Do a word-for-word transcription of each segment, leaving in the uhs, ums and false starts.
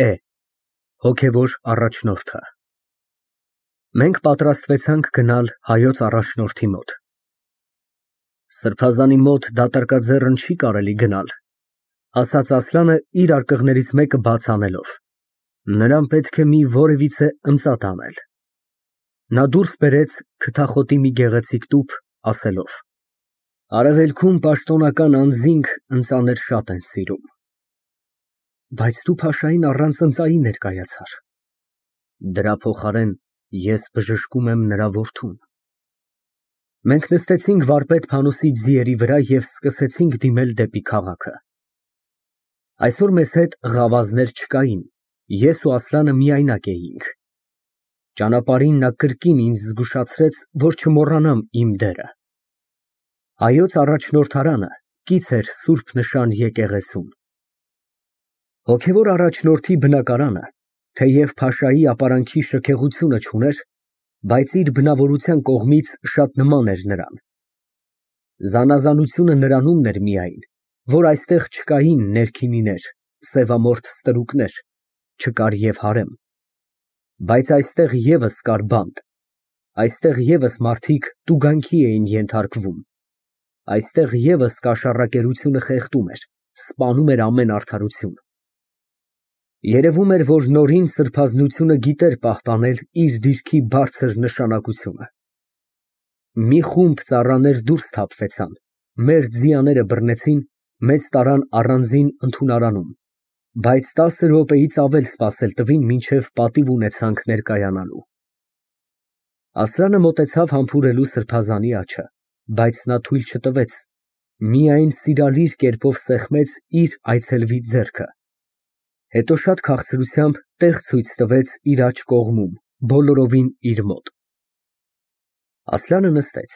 Է հոգևոր առաջնորդը։ Մենք պատրաստվեցանք գնալ հայոց առաջնորդի մոտ։ Սրբազանի մոտ դատարկաձեռն չի կարելի գնալ, ասաց Ասլանը իր արկղներից մեկը բաց անելով, նրան պետք է մի որևիցե ընծատ անել։ Նա դուրս բերեց քթախոտի մի գեղեցիկ տուփ, ասելով. Արևելքում պաշտոնական անձինք ընծաներ շատ են սիրում։ Բայց դու փաշային առանց ընծայի ներկայացար։ Դրա փոխարեն ես բժշկում եմ նրա որդուն։ Մենք նստեցինք վարպետ Փանոսի ձիերի վրա և սկսեցինք դիմել դեպի քաղաքը։ Այսօր մեզ հետ ղավազներ չկային, ես ու Ասլանը միայնակ էինք։ Ճանապարհին նա կրկին ինձ զգուշացրեց, որ չմոռանամ իմ դերը։ Հայոց առաջնորդարանը կից էր սուրբ նշան եկեղեցուն։ Հոգևոր առաջնորդի բնակարանը, թեև փաշայի ապարանքի շքեղությունը չուներ, բայց իր բնավորության կողմից շատ նման էր նրան։ Զանազանությունը նրանումն էր միայն, որ այստեղ չկային ներքինիներ, սևամորթ ստրուկներ, չկար և հարեմ։ Բայց այստեղ ևս կար բանտ, այստեղ ևս մարդիկ տուգանքի էին ենթարկվում, այստեղ ևս կաշառակերությունը խեղդում էր, սպանում էր ամեն արդարություն։ Երևում էր, որ նորին սրբազնությունը գիտեր պահպանել իր դիրքի բարձր նշանակությունը։ Մի խումբ ծառաներ դուրս թափվեցան, մեր ձիաները բռնեցին, մեզ տարան առանձին ընդունարանում, բայց տասը րոպեից ավել սպասել տվին, մինչև պատիվ ունեցանք ներկայանալու։ Ասլանը մոտեցավ համբուրելու սրբազանի աջը, բայց նա թույլ չտվեց, միայն սիրալիր կերպով սեղմեց իր այցելվի ձեռքը, հետո շատ քաղցրությամբ տեղ ցույց տվեց իր աջ կողմում, բոլորովին իր մոտ։ Ասլանը նստեց,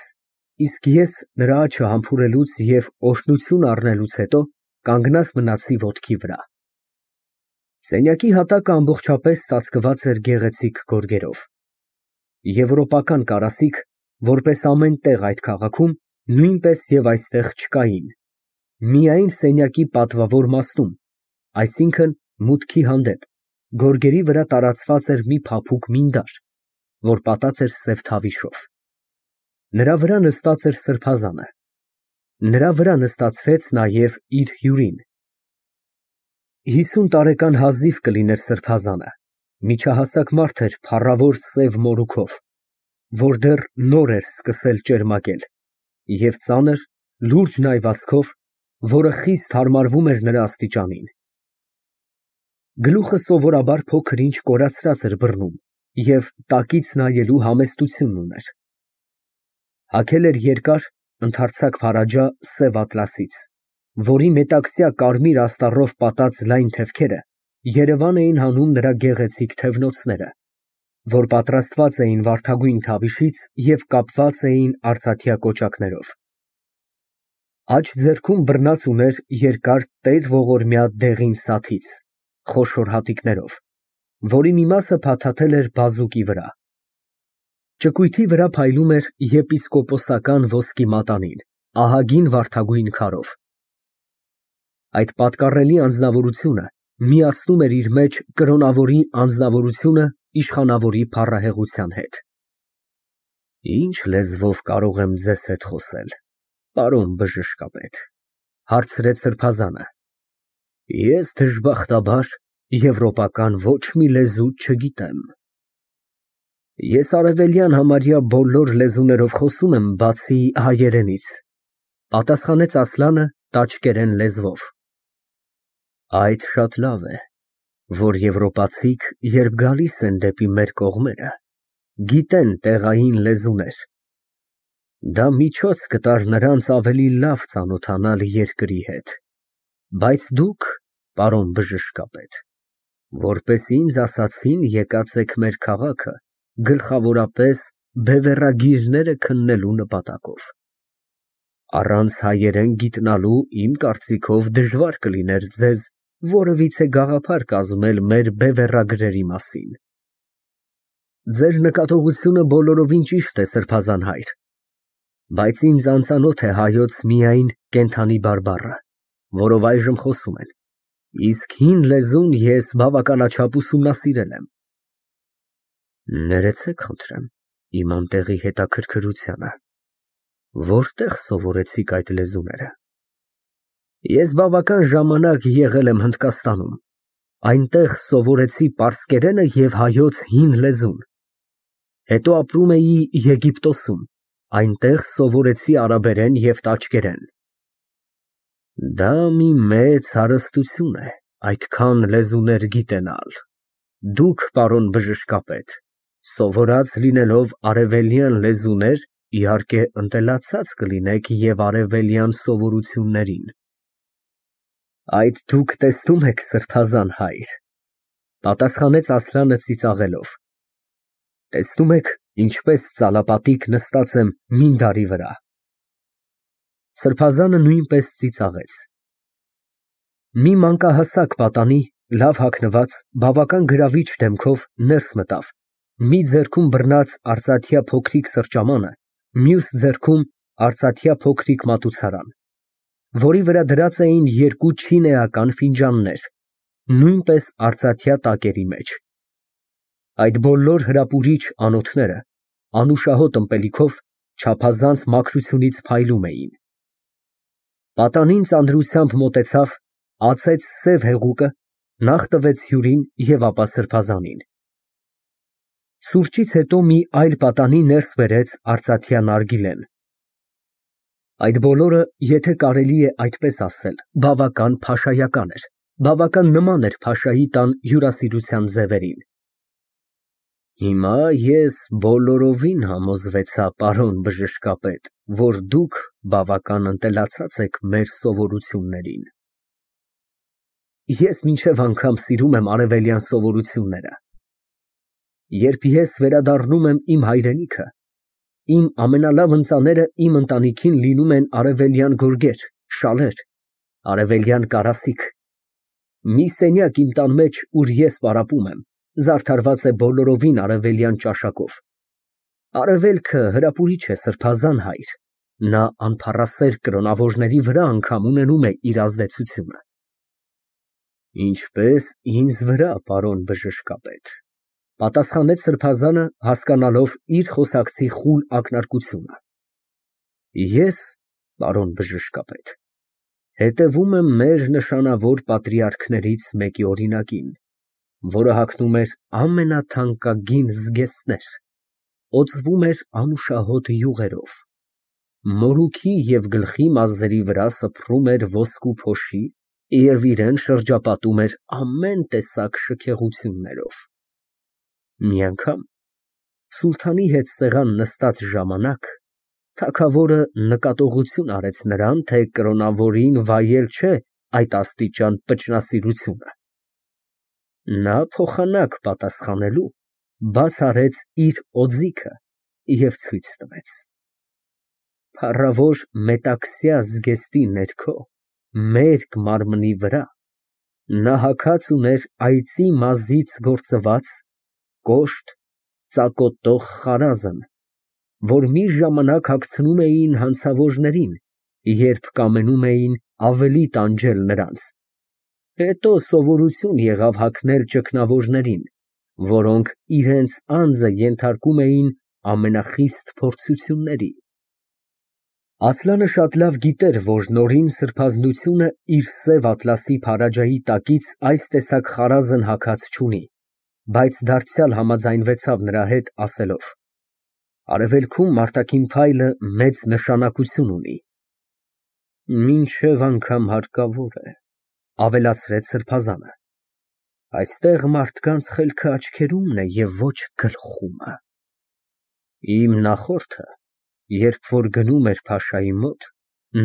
իսկ ես նրա աջը համբուրելուց և օրհնություն առնելուց հետո կանգնած մնացի ոտքի վրա։ Սենյակի հատակը ամբողջապես ծածկված էր գեղեցիկ գորգերով։ Եվրոպական կարասիք, որպես ամեն տեղ այդ քաղաքում, նույնպես և այստեղ չկային, միայն սենյակի պատվավոր մասնում, այսինքն մուտքի հանդեպ, գորգերի վրա տարածված էր մի փափուկ մինդար, որ պատած էր սև թավիշով։ Նրա վրա նստած էր սրբազանը։ Նրա վրա նստացրեց նաև իր հյուրին։ Հիսուն տարեկան հազիվ կլիներ սրբազանը, միջահասակ մարդ էր փառավոր սև մորուքով, որ դեռ նոր էր սկսել ճերմակել, և ծանր, լուրջ նայվածքով, որը խիստ հարմարվում էր նրա աստիճանին։ Գլուխը սովորաբար փոքր-ինչ կորացրած էր բռնում և տակից նայելու համեստություն ուներ։ Հագել էր երկար, ընդարձակ փարաջա սև ատլասից, որի մետաքսյա կարմիր աստառով պատած լայն թևքերը երևան էին հանում նրա գեղեցիկ թևնոցները, որ պատրաստված էին վարդագույն թավիշից և կապված էին արծաթյա կոճակներով։ Աջ ձեռքում բռնած ուներ երկար տեր ողորմյա դեղին սաթից, խոշոր հատիկներով, որի մի մասը փաթաթել էր բազուկի վրա։ Ճկույթի վրա փայլում էր եպիսկոպոսական ոսկի մատանին, ահագին վարդագույն քարով։ Այդ պատկառելի անձնավորությունը միացնում էր իր մեջ կրոնավորի անձնավորությունը իշխանավորի փառահեղության հետ։ Ի՞նչ լեզվով կարող եմ ձեզ հետ խոսել, պարոն բժշկապետ, հարցրեց սրբազանը։ Ես դժբախտաբար եվրոպական ոչ մի լեզու չգիտեմ։ Ես արևելյան համարյա բոլոր լեզուներով խոսում եմ, բացի հայերենից, պատասխանեց Ասլանը տաճկերեն լեզվով։ Այդ շատ լավ է, որ եվրոպացիք, երբ գալիս են դեպի մեր կողմերը, գիտեն տեղային լեզուներ։ Դա միջոց կտար նրանց ավելի լավ ծանոթանալ երկրի հետ, բայց դուք, պարոն բժշկապետ, որպես ինձ ասացին, եկած եք մեր քաղաքը գլխավորապես բևեռագիրները քննելու նպատակով։ Առանց հայերեն գիտնալու իմ կարծիքով դժվար կլիներ ձեզ որևիցե գաղափար կազմել մեր բևեռագրերի մասին։ Ձեր նկատողությունը բոլորովին ճիշտ է, սրբազան հայր, բայց ինձ անծանոթ է հայոց միայն կենդանի բարբառը, որով այժմ խոսում են, Իսկ հին լեզուն ես բավականաչափ ուսումնասիրել եմ։ Ներեցեք, խնդրեմ, իմ անտեղի հետաքրքրությանը, որտեղ սովորեցիք այդ լեզուները։ Ես բավական ժամանակ եղել եմ Հնդկաստանում, այնտեղ սովորեցի պարսկերենը և հայոց հին լեզուն, հետո ապրում էի Եգիպտոսում, այնտեղ սովորեցի արաբերեն և տաճկերեն։ Դա մի մեծ հարստություն է, այդքան լեզուներ գիտենալ։ Դուք, պարոն բժշկապետ, սովորած լինելով արևելյան լեզուներ, իհարկե ընտելացած կլինեք և արևելյան սովորություններին։ Այդ դուք տեսնում եք, սրբազան հայր, պատասխանեց Ասլանը ծիծաղելով, տեսնում եք, ինչպես ծալապատիկ նստած եմ մինդարի վրա։ Սրբազանը նույնպես ծիծաղեց։ Մի մանկահասակ պատանի, լավ հագնված, բավական գրավիչ դեմքով ներս մտավ, մի ձեռքում բռնած արծաթյա փոքրիկ սրճամանը, մյուս ձեռքում արծաթյա փոքրիկ մատուցարան, որի վրա դրած էին երկու չինեական ֆինջաններ, նույնպես արծաթյա տակերի մեջ։ Այդ բոլոր հրապուրիչ անոթները անուշահոտ ըմպելիքով չափազանց մաքրությունից փայլում էին։ Պատանին ծանրությամբ մոտեցավ, ածեց սև հեղուկը, նախ տվեց հյուրին և ապա սրբազանին։ Սուրճից հետո մի այլ պատանի ներս բերեց արծաթյա նարգիլեն։ Այդ բոլորը, եթե կարելի է այդպես ասել, բավական փաշայական էր, բավական նման էր փաշայի տան հյուրասիրության ձևերին։ Հիմա ես բոլորովին համոզվեցա, պարոն բժշկապետ, որ դուք բավական ընտելացած եք մեր սովորություններին։ Ես մինչև անգամ սիրում եմ արևելյան սովորությունները։ Երբ ես վերադառնում եմ իմ հայրենիքը, իմ ամենալավ ընծաները իմ ընտանիքին լինում են արևելյան գորգեր, շալեր, արևելյան կարասիք։ Մի սենյակ իմ տան մեջ, ուր ես պարապում եմ, զարդարված է բոլորովին արևելյան ճաշակով։ Արևելքը հրապուրիչ է, սրբազան հայր, նա անփառասեր կրոնավորների վրա անգամ ունենում է իր ազդեցությունը։ Ինչպես ինձ վրա, պարոն բժշկապետ, պատասխանեց սրբազանը, հասկանալով իր խոսակցի խուլ ակնարկությունը։ Ես, պարոն բժշկապետ, հետևում եմ մեր նշանավոր պատրիարքներից մեկի օրինակին, որը հագնում էր ամենաթանկագին զգեստներ, օծվում էր անուշահոտ յուղերով, մորուքի և գլխի մազերի վրա սփռում էր ոսկու փոշի և իրան շրջապատում էր ամեն տեսակ շքեղություններով։ Մի անգամ սուլթանի հետ սեղան նստած ժամանակ թագավորը նկատողություն արեց նրան, թե կրոնավորին վայել չէ այդ աստիճան պճնասիրությունը։ Նա փոխանակ պատասխանելու բաց արեց իր օձիքը և ցույց տվեց։ Փառավոր մետաքսյա զգեստի ներքո, մերկ մարմնի վրա, նա հագած ուներ այծի մազից գործված, կոշտ, ծակոտող խարազն, որ մի ժամանակ հագցնում էին հանցավորներին, երբ կամենում էին ավելի տանջել նրանց, հետո սովորություն եղավ հագնել ճգնավորներին, որոնք իրենց անձը ենթարկում էին ամենախիստ փորձությունների։ Ասլանը շատ լավ գիտեր, որ նորին սրբազնությունը իր սև ատլասի փարաջայի տակից այս տեսակ խարազն հագած չունի, բայց դարձյալ համաձայնվեցավ նրա հետ, ասելով. Արևելքում արտաքին փայլը մեծ նշանակություն ունի։ Մինչև անգամ հարկավոր է, ավելացրեց սրբազանը։ Այստեղ մարդկանց խելքը աչքերումն է և ոչ գլխումը։ Իմ նախորդը, երբ որ գնում էր փաշայի մոտ,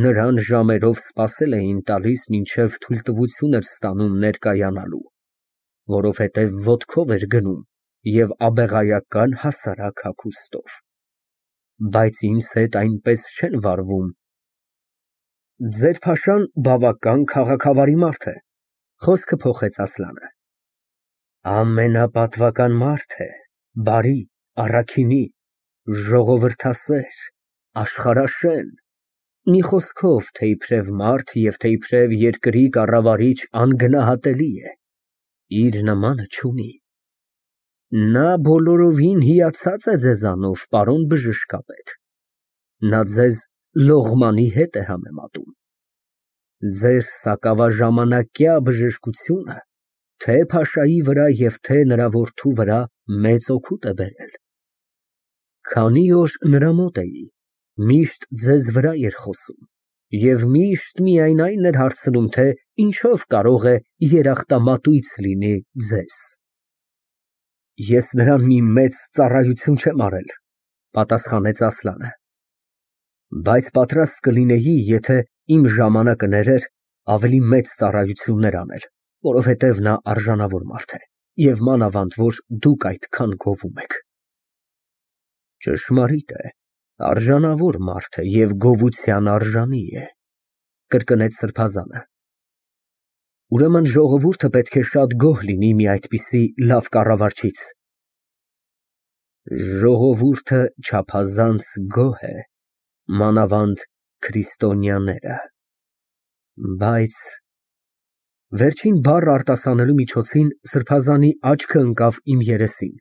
նրան ժամերով սպասել էին տալիս, մինչև թույլտվություն էր ստանում ներկայանալու, որովհետև ոտքով էր գնում և աբեղայական հասարակ հագուստով։ Բայց ինձ հետ այնպես չեն վարվում։ Ձեր փաշան բավական քաղաքավարի մարդ է, խոսքը փոխեց Ասլանը։ Ամենապատվական մարդ է, բարի, առաքինի, ժողովրդասեր, աշխարհաշեն։ Մի խոսքով, թե իբրև մարդ և թե իբրև երկրի կառավարիչ անգնահատելի է, իր նմանը չունի։ Նա բոլորովին հիացած է ձեզանով, պարոն բժշկապետ, նա ձեզ լողմանի հետ է համեմատում։ Ձեր սակավաժամանակյա բժշկությունը թե փաշայի վրա և թե նրա որդու վրա մեծ օգուտ է բերել։ Քանի օր նրա մոտ էի, միշտ ձեզ վրա էր խոսում և միշտ միայն այն էր հարցնում, թե ինչով կարող է երախտամատույց լինի ձեզ։ Ես նրան մի մեծ ծառայություն չեմ արել, պատասխանեց Ասլանը, բայց պատրաստ կլինեի, եթե իմ ժամանակը ներեր, ավելի մեծ ծառայություններ անել, որովհետև նա արժանավոր մարդ է և մանավանդ, որ դուք այդքան գովում եք։ Ճշմարիտ է, արժանավոր մարդ է և գովության արժանի է, կրկնեց սրբազանը։ Ուրեմն ժողովուրդը պետք է շատ գոհ լինի մի այդպիսի լավ կառավարչից։ Ժողովուրդը չափազանց գոհ է, մանավանդ քրիստոնյաները, բայց… Վերջին բառը արտասանելու միջոցին սրբազանի աչքը ընկավ իմ երեսին,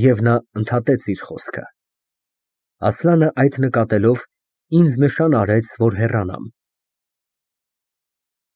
և նա ընդհատեց իր խոսքը։ Ասլանը այդ նկատելով, ինձ նշան արեց, որ հեռանամ։